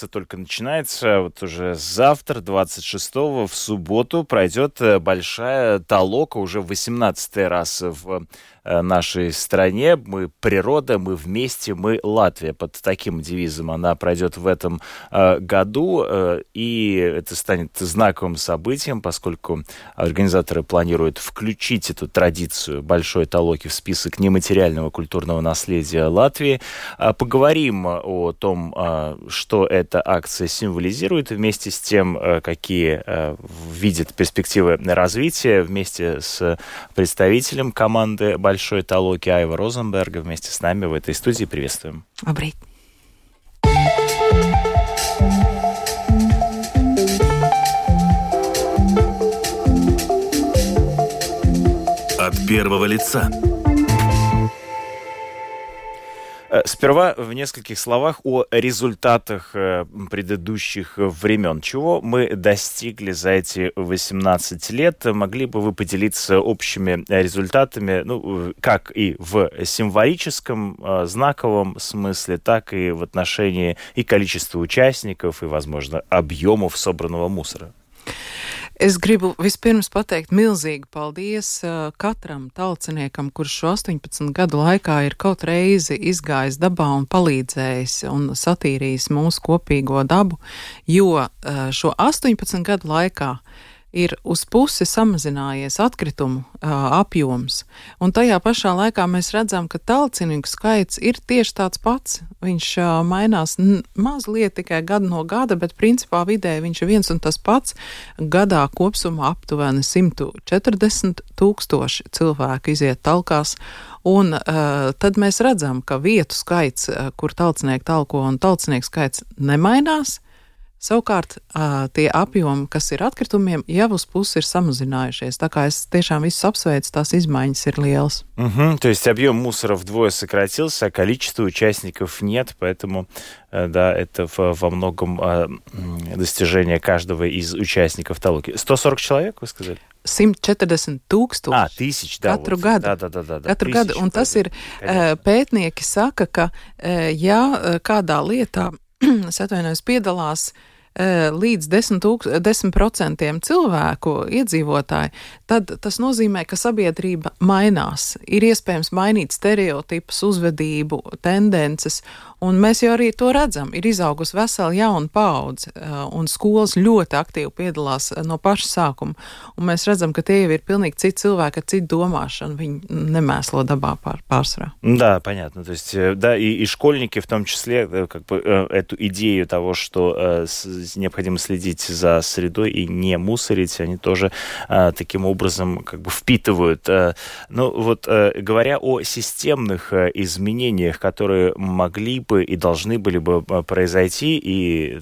только начинается. Вот уже завтра, 26-го, в субботу, пройдет большая толока, уже 18-й раз в нашей стране. Мы природа, мы вместе, мы Латвия. Под таким девизом она пройдет в этом году. И это станет знаковым событием, поскольку организаторы планируют включить эту традицию большой толоки в список нематериального культурного наследия Латвии. Поговорим о том, что эта акция символизирует, вместе с тем, какие видят перспективы развития, вместе с представителем команды большой толоки Айва Розенберга вместе с нами в этой студии. Приветствуем. Labrīt. От первого лица. Сперва в нескольких словах о результатах предыдущих времен. Чего мы достигли за эти 18 лет? Могли бы вы поделиться общими результатами, как и в символическом, знаковом смысле, так и в отношении и количества участников, и, возможно, объемов собранного мусора? Es gribu vispirms pateikt milzīgi paldies katram talciniekam, kurš šo 18 gadu laikā ir kaut reizi izgājis dabā un palīdzējis un satīrījis mūsu kopīgo dabu, jo šo 18 gadu laikā ir uz pusi samazinājies atkritumu apjoms, un tajā pašā laikā mēs redzam, ka talcinieku skaits ir tieši tāds pats. Viņš mainās mazliet tikai gadu no gada, bet principā vidēji viņš ir viens un tas pats. Gadā kopsumā aptuveni 140 000 cilvēku iziet talkās, un tad mēs redzam, ka vietu skaits, kur talcinieki talko un talcinieku skaits nemainās. Savukārt, tie apjomi, kas ir atkritumiem, jau uz pusi ir samazinājušies. Tā kā es tiešām visus апсвейcu, tās изменения ir lielas. То есть объем мусора вдвое сократился, а количество участников нет, поэтому, да, это во многом достижение каждого из участников толоки. 140 человек, вы сказали? 140 000. Тысяч, да. Katru gadu. Да. Katru gadu. Un tas ir, pētnieki saka, ka, ja kādā lietā es atvainojos, piedalās līdz 10% cilvēku iedzīvotāji, tad tas nozīmē, ka sabiedrība mainās. Ir iespējams mainīt stereotipus, uzvedību, tendences, un mēs jau arī to redzam. Ir izaugusi vesela jauna paudze, un skolas ļoti aktīvi piedalās no paša sākuma. Un mēs redzam, ka tie jau ir pilnīgi citi cilvēki ar citu domāšanu. Viņi nemēslo dabā pārsvarā. Да, понятно. То есть, да, и школьники в том числе, как бы, эту идею того, что необходимо следить за средой и не мусорить, они тоже таким образом как бы впитывают. Говоря о системных изменениях, которые могли бы и должны были бы произойти и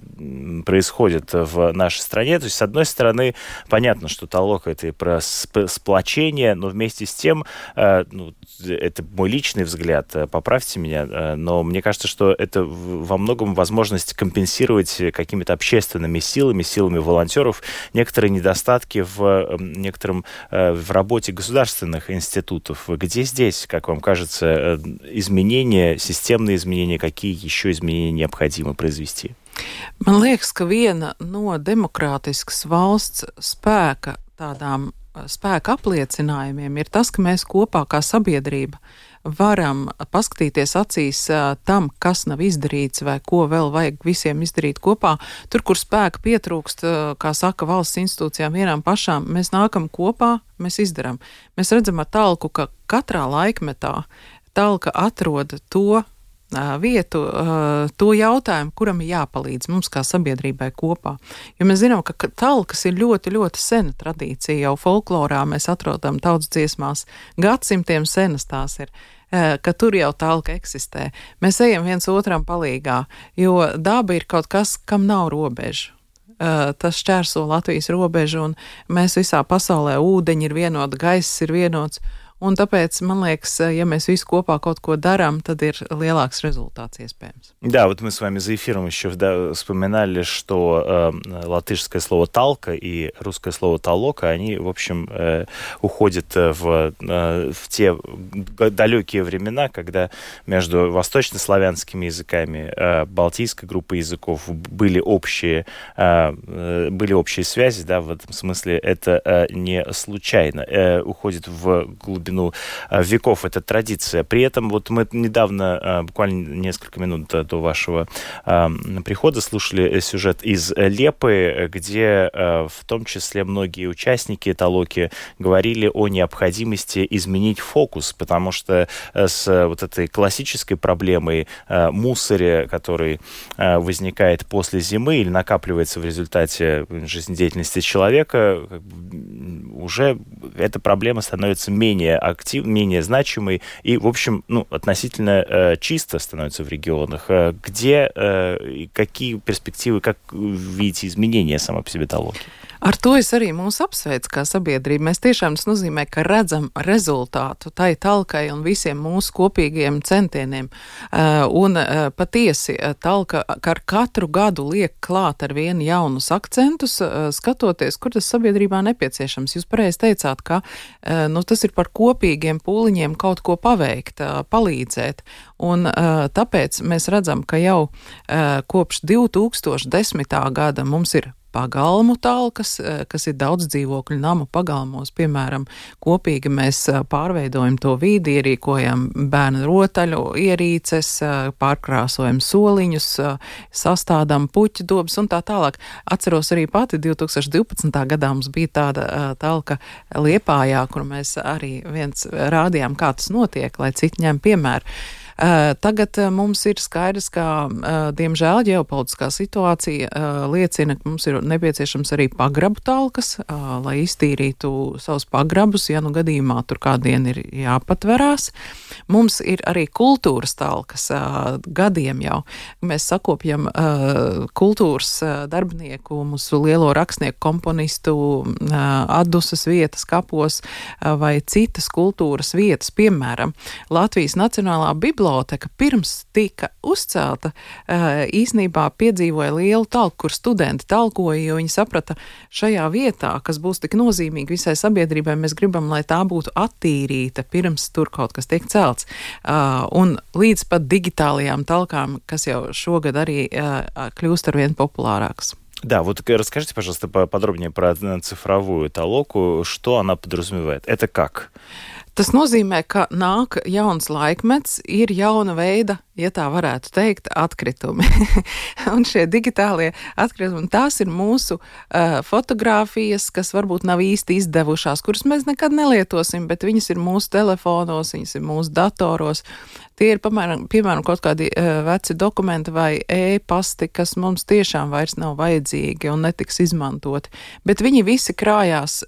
происходят в нашей стране. То есть, с одной стороны, понятно, что толока — это и про сплочение, но вместе с тем, это мой личный взгляд, поправьте меня, но мне кажется, что это во многом возможность компенсировать какими-то общественными силами волонтеров некоторые недостатки в работе государственных институтов. Где здесь, как вам кажется, изменения, системные изменения, какие еще изменения необходимо произвести? Man liekas, ka viena no demokrātiskas valsts spēka apliecinājumiem ir tas, ka mēs kopā kā sabiedrība varam paskatīties acīs tam, kas nav izdarīts vai ko vēl vajag visiem izdarīt kopā. Tur, kur spēka pietrūkst, kā saka valsts institūcijām vienām pašām, mēs nākam kopā, mēs izdarām. Mēs redzam ar talku, ka katrā laikmetā talka atrod to vietu, to jautājumu, kuram ir jāpalīdz mums kā sabiedrībai kopā. Jo mēs zinām, ka talkas ir ļoti, ļoti sena tradīcija. Jau folklorā mēs atrodam tautas dziesmās, gadsimtiem senas tās ir, ka tur jau talka eksistē. Mēs ejam viens otram palīgā, jo daba ir kaut kas, kam nav robežu. Tas šķērso Latvijas robežu, un mēs visā pasaulē ūdeņi ir vienoti, gaiss ir vienots. un tāpēc, man liekas, ja mēs visi kopā kaut ko дарам, tad ir lielāks результат iespējams. Да, вот мы с вами за эфиром еще вспоминали, что латышское слово «талка» и русское слово «толока», они, в общем, уходят в те далекие времена, когда между восточнославянскими языками, балтийской группой языков были общие связи, да, в этом смысле это не случайно. Уходит в глубину веков эта традиция. При этом вот мы недавно, буквально несколько минут до вашего прихода, слушали сюжет из Лепы, где в том числе многие участники толоки говорили о необходимости изменить фокус, потому что с вот этой классической проблемой мусоря, который возникает после зимы или накапливается в результате жизнедеятельности человека, уже эта проблема становится менее активной, менее значимой и, в общем, относительно чисто становится в регионах. Где, какие перспективы, как видите изменения самой по себе толоки? Ar to es arī mūs apsveicu kā sabiedrība. Mēs tiešām tas nozīmē, ka redzam rezultātu tai talkai un visiem mūsu kopīgiem centieniem. Un patiesi talka ar katru gadu liek klāt ar vienu jaunus akcentus, skatoties, kur tas sabiedrībā nepieciešams. Jūs pareizi teicāt, ka tas ir par kopīgiem pūliņiem kaut ko paveikt, palīdzēt. Un tāpēc mēs redzam, ka jau kopš 2010. Gada mums ir pagalmu talkas, kas ir daudz dzīvokļu namu pagalmos. Piemēram, kopīgi mēs pārveidojam to vidi, ierīkojam bērnu rotaļu ierīces, pārkrāsojam soliņus, sastādām puķu dobas un tā tālāk. Atceros arī pati 2012. gadā mums bija tāda talka Liepājā, kur mēs arī viens rādījām, kā tas notiek, lai citi ņem piemēru. Tagad mums ir skaidrs, ka, diemžēl, ģeopolitiskā situācija liecina, ka mums ir nepieciešams arī pagrabu talkas, lai iztīrītu savus pagrabus, ja gadījumā tur kādien ir jāpatverās. Mums ir arī kultūras talkas gadiem jau. Mēs sakopjam kultūras darbinieku, mūsu lielo rakstnieku, komponistu atdusas vietas kapos vai citas kultūras vietas. Piemēram, Latvijas Nacionālā biblioteka pirms tika uzcelta, īsnībā piedzīvoja lielu talku, kur studenti talkoja, jo viņi saprata, šajā vietā, kas būs tik nozīmīga visai sabiedrībai, mēs gribam, lai tā būtu attīrīta pirms tur kaut kas tiek celts. Un līdz pat digitālajām talkām, kas jau šogad arī kļūst arvien populārākas. Да, вот расскажите, пожалуйста, подробнее про цифровую толоку. Что она подразумевает? Это как? Tas nozīmē, ka nāk jauns laikmets, ir jauna veida, ja tā varētu teikt, atkritumi. Un šie digitālie atkritumi, tās ir mūsu fotogrāfijas, kas varbūt nav īsti izdevušās, kuras mēs nekad nelietosim, bet viņas ir mūsu telefonos, viņas ir mūsu datoros. Tie ir, piemēram, kaut kādi veci dokumenti vai e-pasti, kas mums tiešām vairs nav vajadzīgi un netiks izmantoti. Bet viņi visi krājās,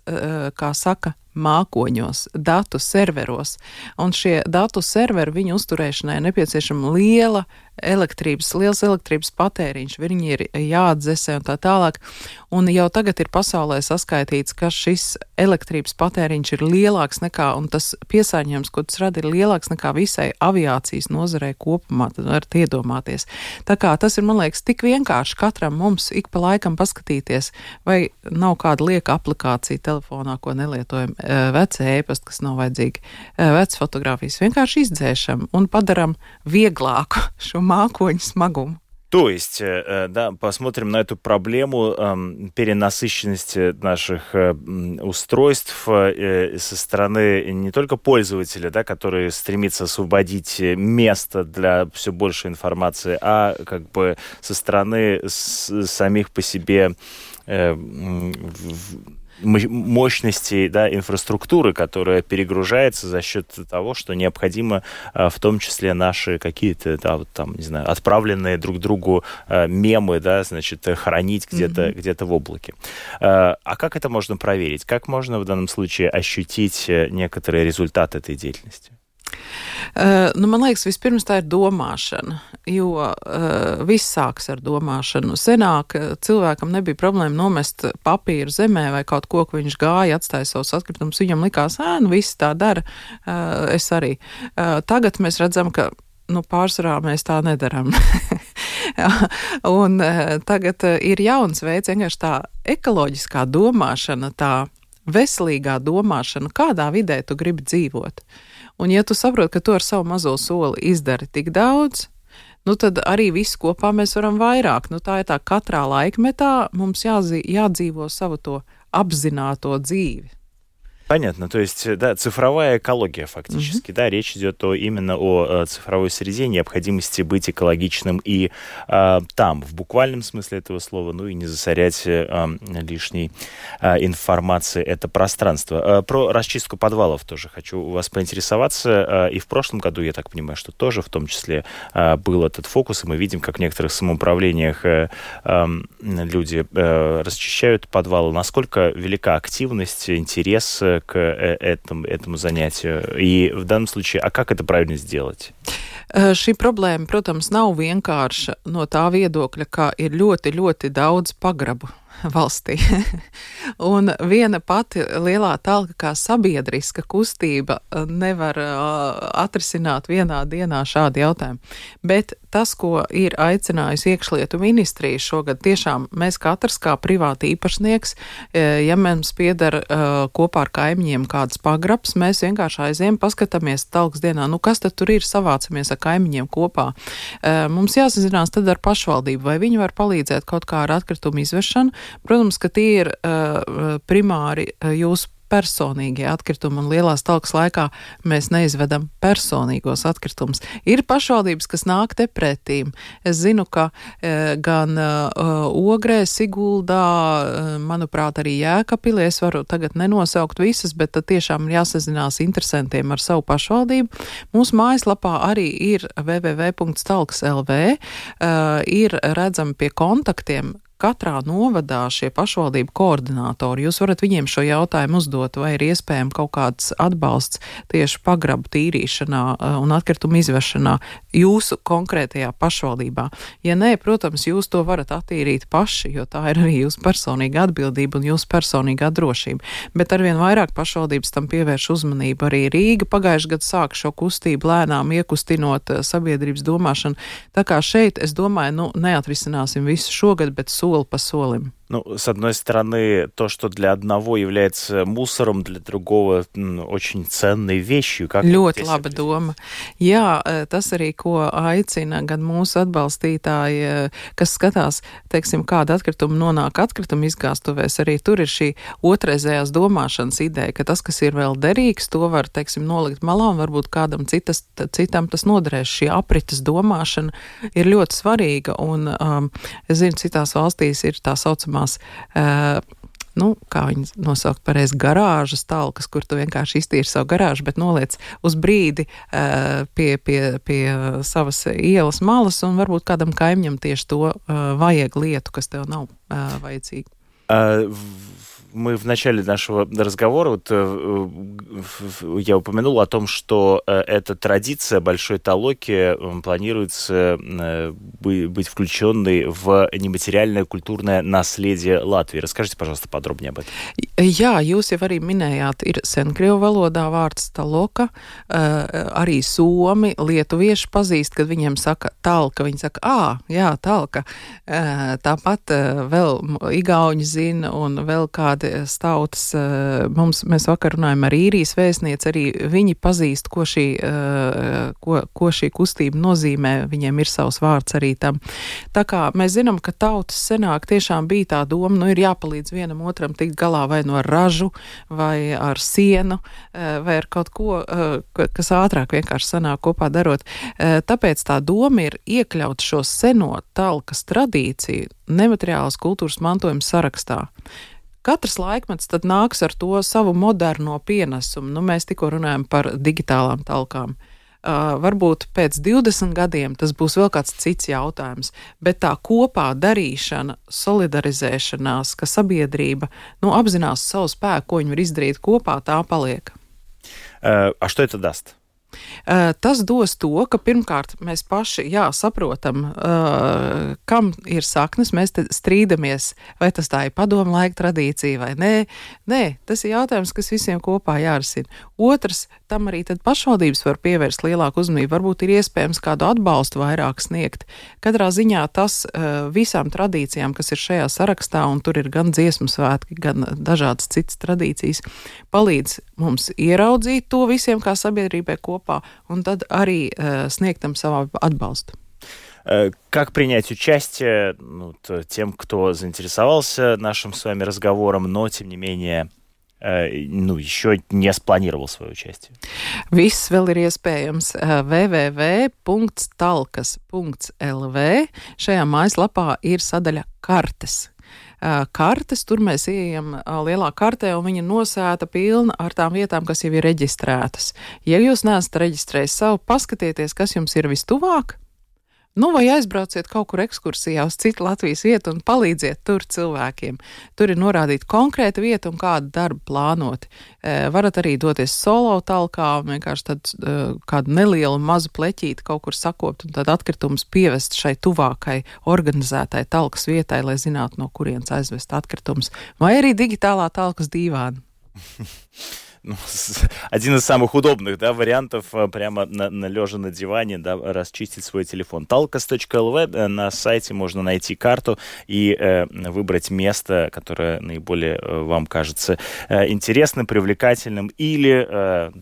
kā saka, mākoņos, datu serveros. Un šie datu serveri, viņu uzturēšanai nepieciešama liels elektrības patēriņš, viņi ir jāatdzesē un tā tālāk. Un jau tagad ir pasaulē saskaitīts, ka šis elektrības patēriņš ir lielāks nekā, un tas piesārņojums, ko tas rada, ir lielāks nekā visai aviācijas nozarei kopumā, tad varat iedomāties. Tā kā tas ir, man liekas, tik vienkārši katram mums ik pa laikam paskatīties, vai nav kāda lieka aplikācija telefonā, ko nelietojam, veci e-pasti, kas nav vajadzīgi, veci fotogrāfijas, vienkārši izdzēšam un padaram vieglāku šo mākoņu смогу. То есть, да, посмотрим на эту проблему перенасыщенности наших устройств со стороны не только пользователя, да, который стремится освободить место для все большей информации, а как бы со стороны самих по себе мощности, да, инфраструктуры, которая перегружается за счет того, что необходимо в том числе наши какие-то, да, вот там, не знаю, отправленные друг другу мемы, да, значит, хранить где-то в облаке. А как это можно проверить? Как можно в данном случае ощутить некоторые результаты этой деятельности? Man liekas, vispirms tā ir domāšana, jo viss sāks ar domāšanu. Senāk cilvēkam nebija problēma nomest papīru zemē vai kaut ko, ko viņš gāja, atstāja savus atkritumus. Viņam likās, visi tā dara, es arī. Tagad mēs redzam, ka pārsvarā mēs tā nedaram. Un tagad ir jauns veids, vienkārši tā ekoloģiskā domāšana, tā veselīgā domāšana, kādā vidē tu gribi dzīvot. Un ja tu saproti, ka tu ar savu mazo soli izdari tik daudz, tad arī visu kopā mēs varam vairāk. Tā ir tā katrā laikmetā mums jādzīvo savu to apzināto dzīvi. Понятно, то есть, да, цифровая экология фактически, да, речь идет именно о цифровой среде, необходимости быть экологичным и там, в буквальном смысле этого слова, и не засорять лишней информации это пространство. Про расчистку подвалов тоже хочу у вас поинтересоваться, и в прошлом году, я так понимаю, что тоже в том числе был этот фокус, и мы видим, как в некоторых самоуправлениях люди расчищают подвалы. Насколько велика активность, интерес к этому занятию. И в данном случае, как это правильно сделать? Šī problēma, protams, nav vienkārša no tā viedokļa, ka ir ļoti, ļoti daudz pagrabu valstī. Un viena pati lielā talka kā sabiedriska kustība nevar atrisināt vienā dienā šādu jautājumu. Bet tas, ko ir aicinājusi iekšlietu ministrija šogad, tiešām mēs katrs kā privāti īpašnieks, ja mums pieder kopā ar kaimiņiem kāds pagrabs, mēs vienkārši aizējam, paskatāmies talkas dienā, kas tad tur ir, savācamies ar kaimiņiem kopā. Mums jāsazinās tad ar pašvaldību, vai viņi var palīdzēt kaut kā ar atkritumu izvešanu. Protams, ka tie ir primāri jūsu personīgie atkritumi, un lielās talkas laikā mēs neizvedam personīgos atkritumus. Ir pašvaldības, kas nāk te pretīm. Es zinu, ka gan Ogrē, Siguldā, manuprāt, arī Jēkabpilī, es varu tagad nenosaukt visas, bet tad tiešām jāsazinās interesantiem ar savu pašvaldību. Mūsu mājaslapā arī ir www.talks.lv, ir redzami pie kontaktiem katrā novadā šie pašvaldību koordinātori. Jūs varat viņiem šo jautājumu uzdot, vai ir iespējams kaut kāds atbalsts tieši pagrabu tīrīšanā un atkritumu izvešanā jūsu konkrētajā pašvaldībā. Ja nē, protams, jūs to varat attīrīt paši, jo tā ir arī jūsu personīga atbildība un jūsu personīgā drošība. Bet arvien vairāk pašvaldības tam pievērš uzmanību. Arī Rīga pagājušajā gadā sāka šo kustību lēnām iekustinot sabiedrības domāšanu. Tā kā šeit, es domāju, neatrisināsim visu šogad, bet сол по солим. С одной стороны, то, что для одного является мусором, для другого очень ценной вещью. Ļoti laba doma. Jā, tas arī, ko aicina gan mūsu atbalstītāji, kas skatās, teiksim, kāda atkrituma nonāk atkrituma izgāstuvēs, arī tur ir šī otrreizējās domāšanas ideja, ka tas, kas ir vēl derīgs, to var, teiksim, nolikt malā un varbūt kādam citam tas noderēs. Šī aprites domāšana ir ļoti svarīga, un es zinu, citās valstīs ir tā saucamā kā viņi nosaukt pareizi, garāžas talkas, kur tu vienkārši iztīri savu garāžu, bet noliec uz brīdi pie savas ielas malas, un varbūt kādam kaimiņam tieši to vajag lietu, kas tev nav vajadzīga. Мы в начале нашего разговора, я упомянул о том, что эта традиция большой талоки планируется быть включенной в нематериальное культурное наследие Латвии. Расскажите, пожалуйста, подробнее об этом. Jā, jūs jau arī minējāt, ir senkrievu valodā vārds taloka, arī somi, lietuvieši pazīst, kad viņiem saka talka, viņi saka, jā, talka. Tāpat vēl igauņi zina un vēl kādi stautas. Mēs vakar runājam ar īrijas vēstnieci, arī viņi pazīst, ko šī kustība nozīmē, viņiem ir savs vārds arī tam. Tā kā mēs zinām, ka tautas senāk tiešām bija tā doma, ir jāpalīdz vienam otram tikt galā vai no ražu, vai ar sienu, vai ar kaut ko, kas ātrāk vienkārši sanāk kopā darot. Tāpēc tā doma ir iekļaut šo seno talkas tradīciju nemateriālas kultūras mantojuma sarakstā. Katrs laikmets tad nāks ar to savu moderno pienesumu. Mēs tikko runājam par digitālām talkām. Varbūt pēc 20 gadiem tas būs vēl kāds cits jautājums, bet tā kopā darīšana, solidarizēšanās, ka sabiedrība apzinās savu spēku, ko viņi var izdarīt kopā, tā paliek. А что это даст? Tas dos to, ka pirmkārt mēs paši, saprotam, kam ir saknes, mēs te strīdamies, vai tas tā ir padomu laika tradīcija vai nē. Nē, tas ir jautājums, kas visiem kopā jārisina. Otrs, tam arī tad pašvaldības var pievērst lielāku uzmanību, varbūt ir iespējams kādu atbalstu vairāk sniegt. Katrā ziņā tas visām tradīcijām, kas ir šajā sarakstā, un tur ir gan dziesmu svētki, gan dažādas citas tradīcijas, palīdz mums ieraudzīt to visiem kā sabiedrībai kopā, un tad arī сniegtam savu отбалсту. Как принять участие тем, кто заинтересовался нашим с вами разговором, но, тем не менее, еще не спланировал свое участие? Viss vēl ir iespējams www.talkas.lv. Šajā mājaslapā ir sadaļa kartes. Kartes, tur mēs ieejam lielā kartē, un viņa nosēta pilna ar tām vietām, kas jau ir reģistrētas. Ja jūs neesat reģistrējis savu, paskatieties, kas jums ir vistuvāk, vai aizbrauciet kaut kur ekskursijā uz citu Latvijas vietu un palīdziet tur cilvēkiem. Tur ir norādīta konkrēta vieta un kādu darbu plānoti. Varat arī doties solo talkā un vienkārši tad kādu nelielu mazu pleķīti kaut kur sakopt un tad atkritumus pievest šai tuvākai organizētai talkas vietai, lai zinātu, no kurienes aizvest atkritumus. Vai arī digitālā talkas dīvāna. Один из самых удобных вариантов прямо лежа на диване расчистить свой телефон. Talkas.lv, на сайте можно найти карту и выбрать место, которое наиболее вам кажется интересным, привлекательным или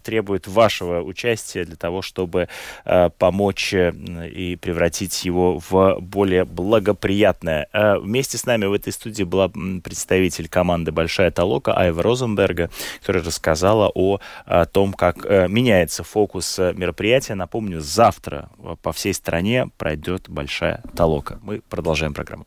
требует вашего участия для того, чтобы помочь и превратить его в более благоприятное. Вместе с нами в этой студии была представитель команды «Большая Толока» Айва Розенберга, которая рассказала о том, как меняется фокус мероприятия. Напомню, завтра по всей стране пройдет Большая Толока. Мы продолжаем программу.